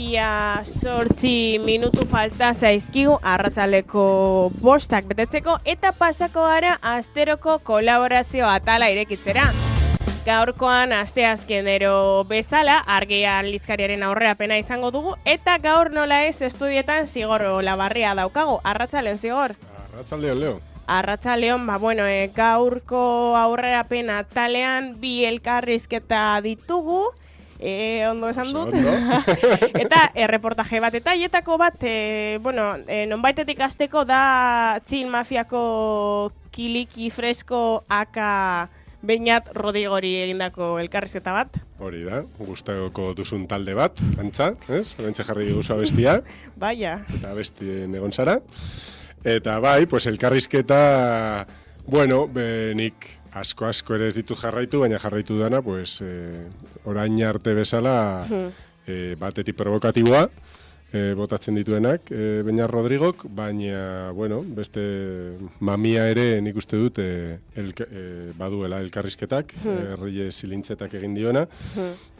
Ia 8 minutu falta zaizkigu arratsaldeko 5 betetzeko eta pasako gara asteroko kolaborazio atala irekitzera. Gaurkoan asteazkenero bezala Argia aldizkariaren aurrerapena izango dugu eta gaur nola ez estudietan Zigor Olabarria daukagu. Arratsaldeon Zigor. Arratsaldeon Leo. Arratsaldeon, gaurko aurrerapena atalean bi elkarrizketa ditugu. Ondo esan dut. Eta reportaje bat eta hietako bat, nonbaitetik hasteko da Txil Mafiako Kiliki Fresko aka Beñat Rodigori egindako elkarrizketa bat. Hori da, gustatuko duzun talde bat, antza, ez? Horentxe jarri diguzu abestia. Baina. Eta abestien egon zara. Eta bai, pues elkarrizketa, nik asko ere ez ditu jarraitu, baina jarraitu dana, pues, orain arte bezala batetik provokatiboa, botatzen dituenak, Beñat Rodrigok, baina, beste mamia ere nik uste dut baduela elkarrizketak, Reyes Ilintzetak egin diona,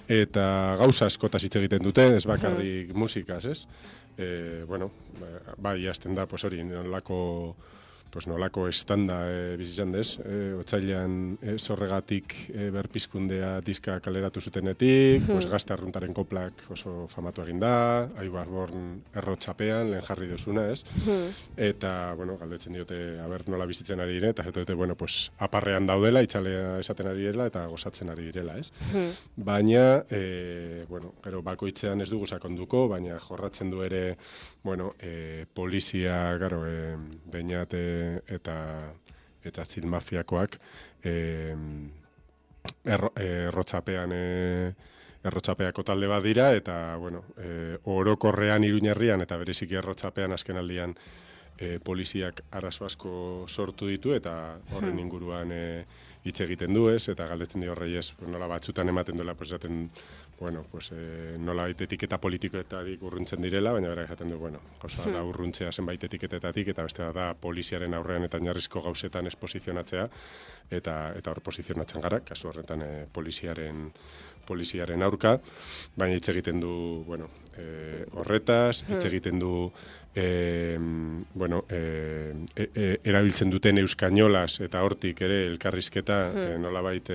eta gauza askotaz hitz egiten dute, ez bakarrik musikaz, ez? Bai, hasten da, hori, nolako estanda bizizan dez, otsailean zorregatik berpizkundea diska kaleratu zutenetik, gazte arruntaren koplak oso famatu egin da, Aibarborn errotxapean, lehen jarri duzuna, ez? Eta, galdetzen diote, nola bizitzen ari dire, eta dute, aparrean daudela, itxalea esaten ari direla, eta gozatzen ari direla, ez? Baina, gero bakoitzean ez dugu sakonduko, baina jorratzen du ere, polizia, Beñat eta Txil Mafiakoak errotxapeako talde bat dira, eta, orokorrean Iruñerrian eta bereziki errotxapean azken aldian poliziak arazo asko sortu ditu, eta horren inguruan hitz egiten du, ez? Eta galdetzen dio Reyes, nola batzutan ematen duela, esaten, nola etiketa politikoetatik urruntzen direla, baina bera esaten du, gauza da urruntzea zenbait etiketetatik, eta beste da poliziaren aurrean eta oinarrizko gauzetan ez posizionatzea, eta hor posizionatzen gara, kasu horretan poliziaren aurka, baina hitz egiten du, horretaz, hitz egiten du, erabiltzen duten euskainolaz eta hortik ere elkarrizketa nolabait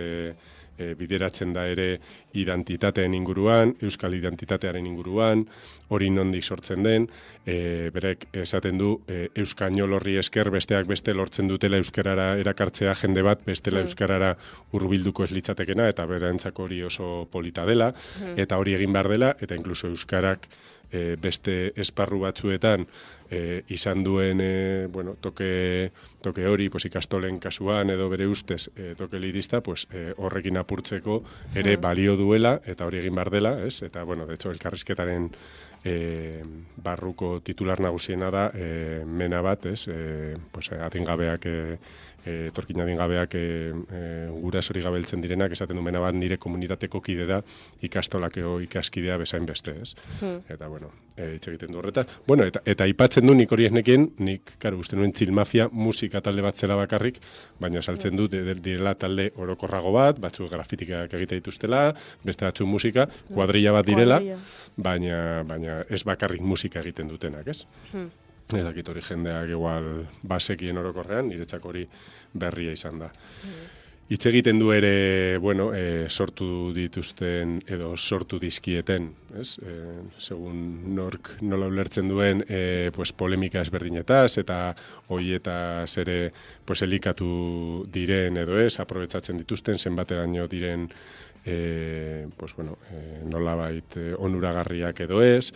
bideratzen da ere identitateen inguruan, euskal identitatearen inguruan, hori nondik sortzen den, berek esaten du euskainol horri esker besteak beste lortzen dutela euskarara erakartzea jende bat bestela euskarara hurbilduko ez litzatekena, eta berantzako hori oso polita dela, eta hori egin behar dela, eta inkluso euskarak beste esparru batzuetan izan duen toke hori, ikastolen kasuan edo bere ustez toke elitista, horrekin apurtzeko ere balio duela eta hori egin behar dela, ez? Eta, de hecho, elkarrizketaren barruko titular nagusiena da mena bat, ez? Adingabeak etorkin adingabeak gurasori gabeltzen direnak, esaten du mena bat nire komunitateko kide da ikastolakeo ikaskidea bezain beste, ez? Eta, hitz egiten du horreta. Eta aipatzen du nik hori ez nekien, nik, uste nuen Txil Mafia musika talde bat zela bakarrik, baina saltzen du direla talde orokorrago bat, batzuk grafitikak egite dituztela, beste batzuk musika, kuadrilla bat direla, baina ez bakarrik musika egiten dutenak, ez? Ez dakit hori jendeak igual basekien orokorrean, niretzak hori berria izan da. Hitz egiten du ere, sortu dituzten edo sortu dizkieten, ez? Segun nork nola ulertzen duen, polemika ezberdinetaz eta horietaz ere elikatu diren edo ez, aprobetsatzen dituzten, zenbateraino diren nolabait onuragarriak edo ez,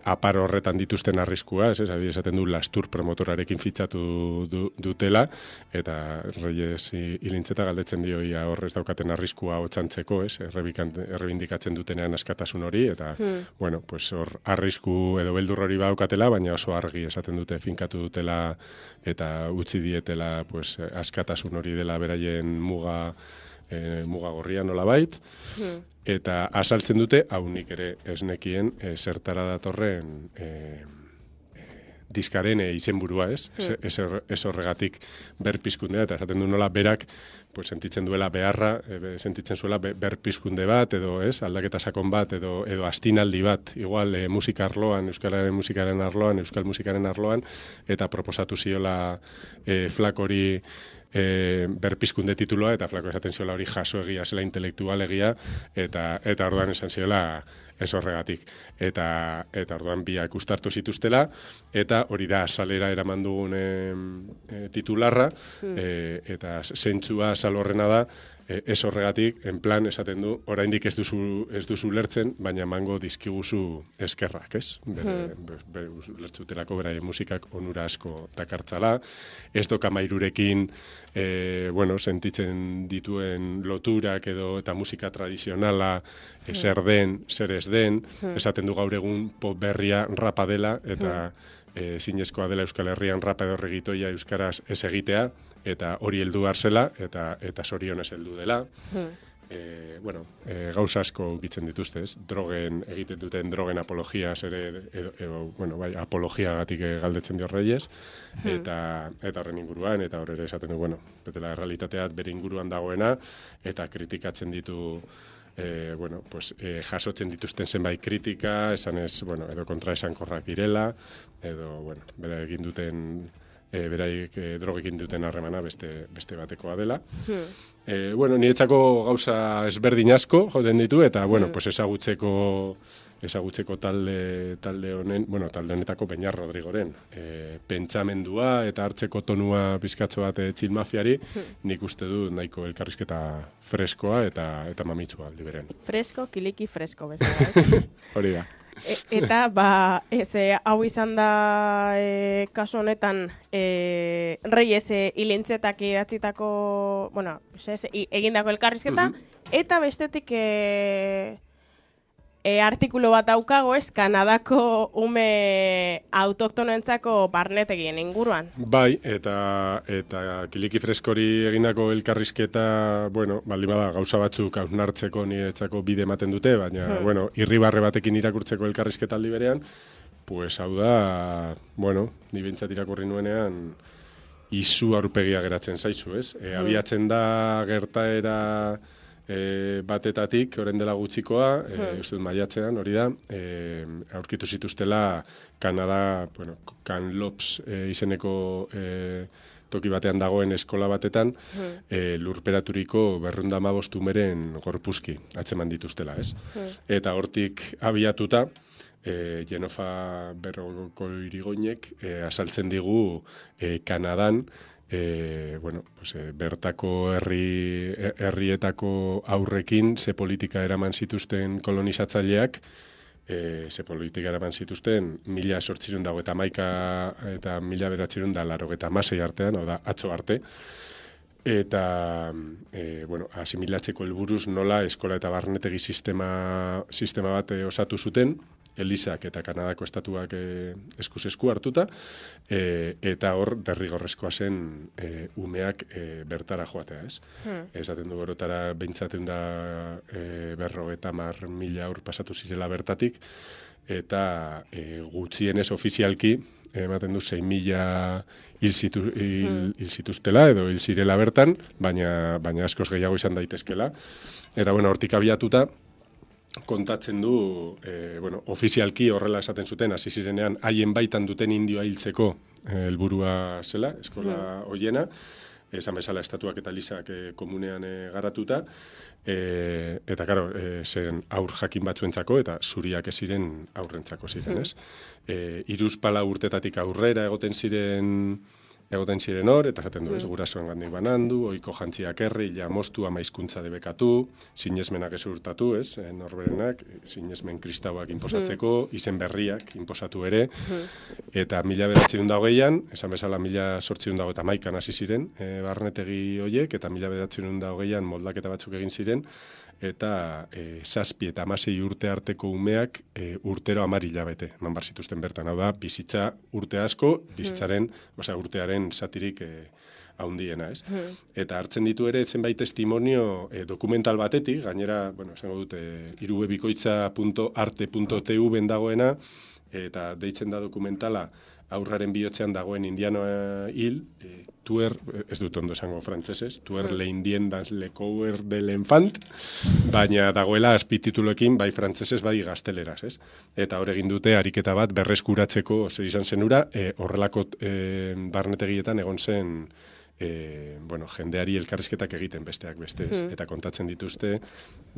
apar horretan dituzten arriskua, esaten du Lastur promotorarekin fitxatu dutela, eta Reyes Ilintzeta galdetzen dio ia horrez daukaten arriskua hotxantzeko, errebindikatzen dutenean askatasun hori, eta, hor arrisku edo beldur hori baukatela, baina oso argi esaten dute finkatu dutela eta utzi dietela askatasun hori dela beraien muga gorria nolabait, eta asaltzen dute, hau nik ere esnekien, zertara datorren diskaren izenburua, ez horregatik berpizkundea, eta esaten du nola berak pues sentitzen duela beharra, sentitzen zuela berpizkunde bat, edo aldaketa sakon bat, edo astinaldi bat, igual musika arloan, euskal musikaren arloan, eta proposatu ziola Flakori berpizkunde tituloa, eta Flako esaten ziola hori jaso egia, zela intelektual egia, eta orduan esan ziola ez horregatik. Eta orduan biak ustartu zituztela, eta hori da salera eraman dugun titularra, eta zentzua sal horrena da, ez horregatik, en plan, esaten du, oraindik ez duzu lertzen, baina emango dizkiguzu eskerrak, ez? Lertzutelako beraien musikak onura asko dakartzala, ez doka mairurekin, sentitzen dituen loturak eta musika tradizionala, zer den, zer ez den, esaten du gaur egun pop berria rapa dela, eta zinezkoa dela Euskal Herrian rapa edo regitoia euskaraz ez egitea, eta hori heldu zela eta zorionez heldu dela. Gauza asko ukitzen dituzte, ez? Drogen, egiten duten drogen apologiaz ere, apologiagatik galdetzen dio Reyes, eta horren inguruan, eta horre esaten du, betela realitateat bere inguruan dagoena, eta kritikatzen ditu, jasotzen dituzten zenbait kritika, esanez, edo kontraesankorrak direla, edo, bera egin duten, beraik drogekin duten harremana beste batekoa dela. Niretzako gauza ezberdin asko joten ditu, eta, ezagutzeko talde honetako Beñar Rodrigoren. Pentsamendua eta hartzeko tonua pizkatxo bat Chill Mafiari, nik uste du nahiko elkarrizketa freskoa eta mamitsua aldi beren. Fresko, kiliki fresko bezala. Hori da. Eta, hau izan da kasu honetan Reyes hilintzetak idatzitako, egindako elkarrizketa, eta bestetik artikulu bat daukago Kanadako ume autoktonoentzako barnetegien inguruan. Bai, eta kiliki freskori egindako elkarrizketa, baldin bada gauza batzuk hausnartzeko niretzako bide ematen dute, baina, irribarre batekin irakurtzeko elkarrizketa aldi berean, pues hau da, ni behintzat irakurri nuenean, izu aurpegia geratzen zaizu, ez? Abiatzen da gertaera batetatik, orain dela gutxikoa, uste dut maiatzean, hori da, aurkitu zituztela Kanada, Kamloops izeneko toki batean dagoen eskola batetan, lurperaturiko 215 umeren gorpuzki atzeman dituztela, ez? Eta hortik abiatuta, Jenofa Berrokoirigoinek azaltzen digu Kanadan, bertako herrietako aurrekin ze politika eraman zituzten kolonizatzaileak, ze politika eraman zituzten 1891 eta 1986 artean, da atzo arte, eta asimilatzeko helburuz nola eskola eta barnetegi sistema bat osatu zuten, Elizak eta Kanadako estatuak eskuz esku hartuta, eta hor derrigorrezkoa zen umeak bertara joatea, ez? Esaten du gorotara behintzatun da 50.000 aur pasatu zirela bertatik, eta gutxienez ofizialki, ematen du 6.000 hil zituztela, edo hil zirela bertan, baina askoz gehiago izan daitezkela. Eta hortik abiatuta, kontatzen du, ofizialki horrela esaten zuten, hasi zirenean haien baitan duten indioa hiltzeko helburua zela, eskola hoiena, esan bezala estatuak eta Elizak komunean garatuta, eta, karo, zen aur jakin batzuentzako, eta zuriak ez ziren aurrentzako ziren, ez? 3-4 urtetatik aurrera egoten ziren hor, eta zaten du, ez gurasoen gandik banandu, oiko jantziak herri, moztu ama hizkuntza debekatu, sinesmenak ez urtatu, ez, norberenak, sinesmen kristauak inposatzeko, izen berriak inposatu ere, eta 1928an, esan bezala 1891an hasi ziren, barnetegi hoiek, eta 1928an moldaketa batzuk egin ziren, eta 7 eta 16 urte arteko umeak urtero 10 hilabete eman bar zituzten bertan. Hau da, bizitza urte asko, urtearen zatirik haundiena, ez? Eta hartzen ditu ere zenbait testimonio dokumental batetik, gainera, esango dute, irubebikoitza.arte.tv dagoena, eta deitzen da dokumentala aurraren bihotzean dagoen indianoa hil, tuer, ez dut ondo esango frantsesez, tuer leindien das le cour de l'enfant, baina dagoela azpitituloekin bai frantsesez, bai gazteleraz, ez? Eta hor egin dute ariketa bat berreskuratzeko zer izan zenura, horrelako barnetegietan egon zen jendeari elkarrizketak egiten besteak beste, eta kontatzen dituzte,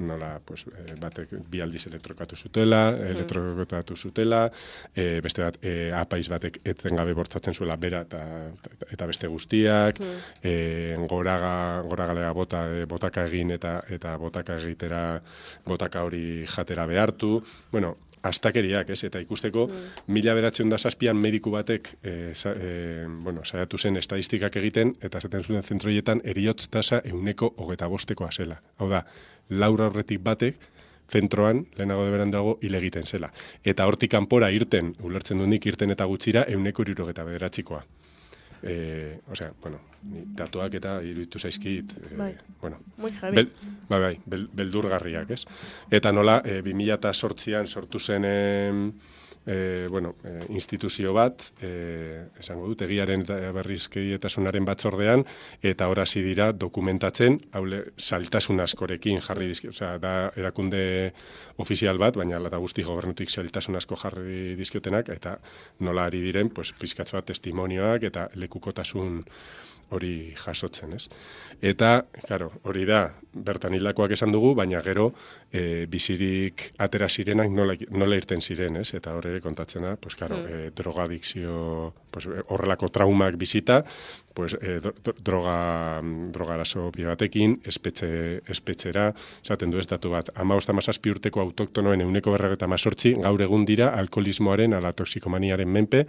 nola, pues, batek bi aldiz elektrokatu zutela, beste bat, apaiz batek etengabe bortzatzen zuela bera eta beste guztiak, goragalea botaka egin eta botaka egitera, botaka hori jatera behartu, bueno, astakeriak, ez? Eta ikusteko, 1907an mediku batek saiatu zen estadistikak egiten, eta esaten zuen zentroietan eriotz tasa 125%koa zela. Hau da, laura horretik batek, zentroan, lehenago de beran dago, hil egiten zela. Eta hortik kanpora irten, ulertzen du nik irten eta gutxira, 169%koa. Datuak eta iruditu zaizkit, beldurgarriak, ez? Eta nola, 2008an sortu zen, instituzio bat, esango dut, egiaren berrizkidetasunaren batzordean, eta hasi dira dokumentatzen, zailtasun askorekin jarri dizkio, da erakunde ofizial bat, baina eta guzti gobernutik zailtasun asko jarri dizkiotenak, eta nola ari diren, pizkatxo bat testimonioak eta lekukotasun hori jasotzen, ez? Eta, claro, hori da, bertan hildakoak esan dugu, baina gero bizirik atera zirenak nola irten ziren, ez? Eta hor ere kontatzen da, drogadikzio, horrelako traumak bizita, droga arazo batekin, espetxera, esaten du ez datu bat, 15-17 urteko autoktonoen 148 gaur egun dira alkoholismoaren ala toxikomaniaren menpe,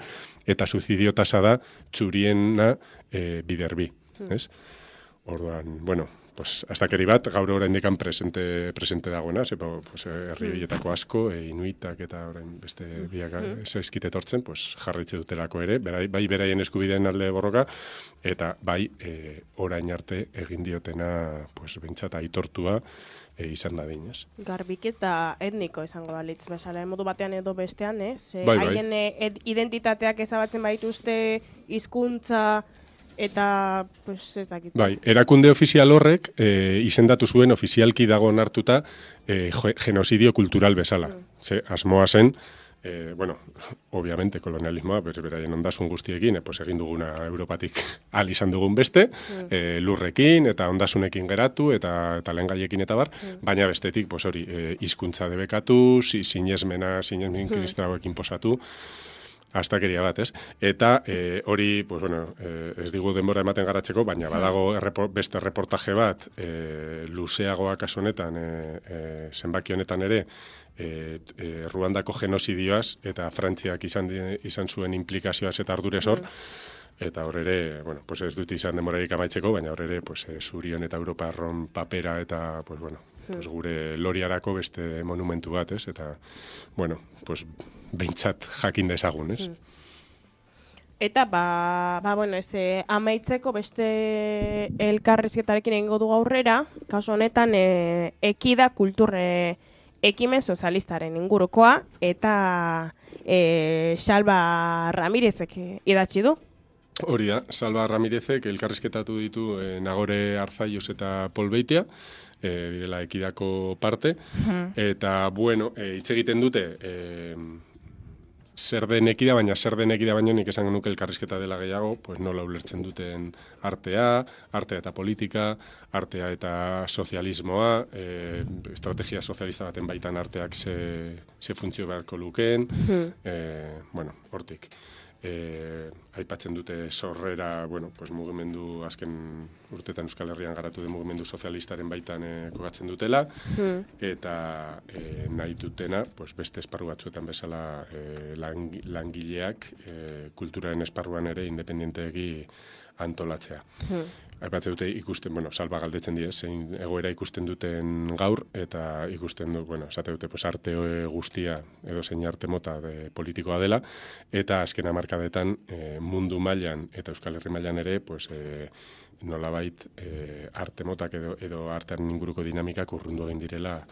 eta suizidio tasa da txuriena biderbi, ez? Orduan, astakeri bat, gaur oraindik presente dagoena, herri horietako asko, inuitak eta orain beste biak zaizkit etortzen, jarritze dutelako ere, bai beraien eskubideen alde borroka, eta bai orain arte egin diotena, behintzat aitortua izan da dinez. Garbiketa etniko izango balitz, bezala, modu batean edo bestean, haien identitateak ezabatzen baituzte, hizkuntza eta, ez dakit. Bai, erakunde ofizial horrek izendatu zuen ofizialki dago onartuta genocidio kultural bezala. Asmoa zen, obviamente, kolonialismoa, beraien ondasun guztiekin, egin duguna Europatik al izan dugun beste, lurrekin eta ondasunekin geratu, eta lehengaiekin eta bar, baina bestetik, hori, hizkuntza debekatu, sinesmen kristrauekin posatu, astakeria bat, ez? Eta hori, ez digu denbora ematen garatzeko, baina badago beste reportaje bat, luzeagoa kasu honetan, zenbaki honetan ere, Ruandako genozidioaz eta Frantziak izan zuen implikazioaz eta ardurez hor, eta hor ere, ez dut izan denborarik amaitzeko, baina hor ere, Zurion eta Europarron papera eta, gure loriarako beste monumentu bat, ez? Eta, behintzat jakin dezagun, ez? Eta, amaitzeko beste elkarrizketarekin egingo dugu aurrera, kasu honetan, ekida kulturre ekimen sozialistaren ingurukoa, eta Salva Ramirezek idatzi du. Hori da, Salva Ramirezek elkarrizketatu ditu Nagore Arzaios eta Pol Beitia, direla ekidako parte, eta, hitz egiten dute, zer den ekida, baino nik esango nuke elkarrizketa dela gehiago, nola ulertzen duten artea eta politika, artea eta sozialismoa, estrategia sozialista baten baitan arteak ze funtzio beharko lukeen, hortik. Aipatzen dute sorrera, mugimendu azken urtetan Euskal Herrian garatu den mugimendu sozialistaren baitan kokatzen dutela, eta nahi dutena, beste esparru batzuetan bezala langileak kulturaren esparruan ere independientegi antolatzea. Aipatzen dute ikusten, Salva galdetzen die, zein egoera ikusten duten gaur, eta ikusten du, esate dute, arte guztia edo zein arte mota politikoa dela, eta azken hamarkadetan mundu mailan eta Euskal Herri mailan ere, nolabait arte motak edo artearen inguruko dinamikak urrundu egin direla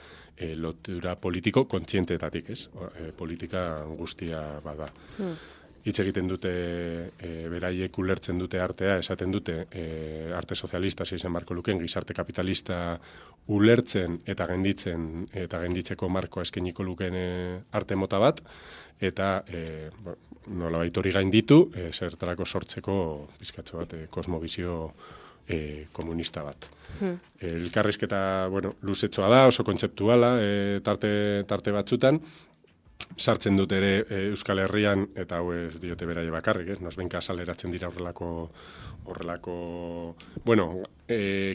lotura politiko kontzienteetatik, ez? Politika guztia bada. hitz egiten dute, beraiek ulertzen dute artea, esaten dute arte sozialista izen barko luken, gizarte kapitalista ulertzen eta genditzeko markoa eskainiko luken arte mota bat, eta nolabait hori gainditu, zertarako sortzeko pizkatxo bat kosmobizio komunista bat. Elkarrizketa, luzetxoa da, oso kontzeptuala, tarte batzutan, sartzen dut ere Euskal Herrian, eta hau ez diote beraie bakarrik, nosbenka azaleratzen dira horrelako,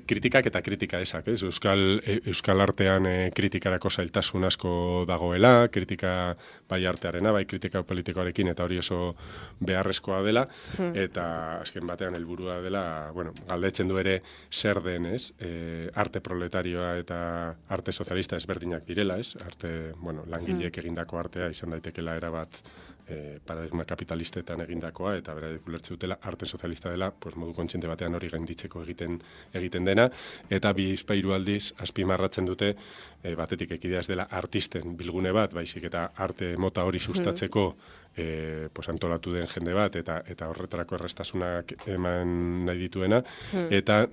kritikak eta kritika esak, Euskal artean kritikarako zailtasun asko dagoela, kritika bai artearena, bai kritika politikoarekin, eta hori oso beharrezkoa dela, eta azken batean helburua dela, galdetzen du ere zer den, arte proletarioa eta arte sozialista ezberdinak direla, arte, langileek egindako artea izan daitekela erabat paradigma kapitalistetan egindakoa, eta beraiek ulertze dutela arte sozialista dela, modu kontziente batean hori gainditzeko egiten dena, eta bizpahiru aldiz azpimarratzen dute batetik ekidea ez dela artisten bilgune bat, baizik eta arte mota hori sustatzeko antolatu den jende bat, eta horretarako errestasunak eman nahi dituena, eta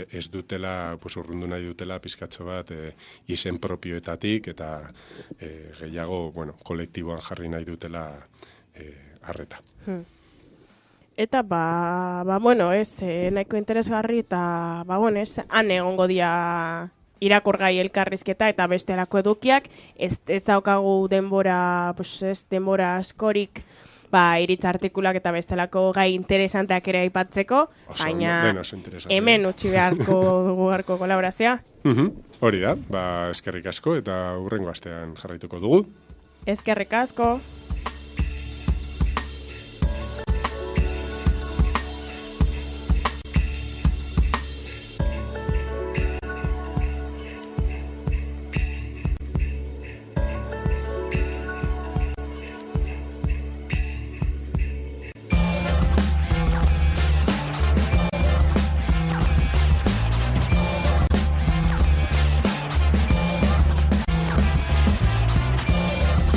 ez dutela, urrundu nahi dutela pizkatxo bat izen propioetatik, eta gehiago, kolektiboan jarri nahi dutela arreta. Eta, nahiko interesgarri, eta, han egongo dia irakurgai elkarrizketa eta bestelako edukiak, ez daukagu denbora askorik, iritz artikulak eta bestelako gai interesanteak ere aipatzeko, baina hemen utzi beharko dugu garko kolaborazioa. Hori da, eskerrik asko eta hurrengo astean jarraituko dugu. Eskerrik asko.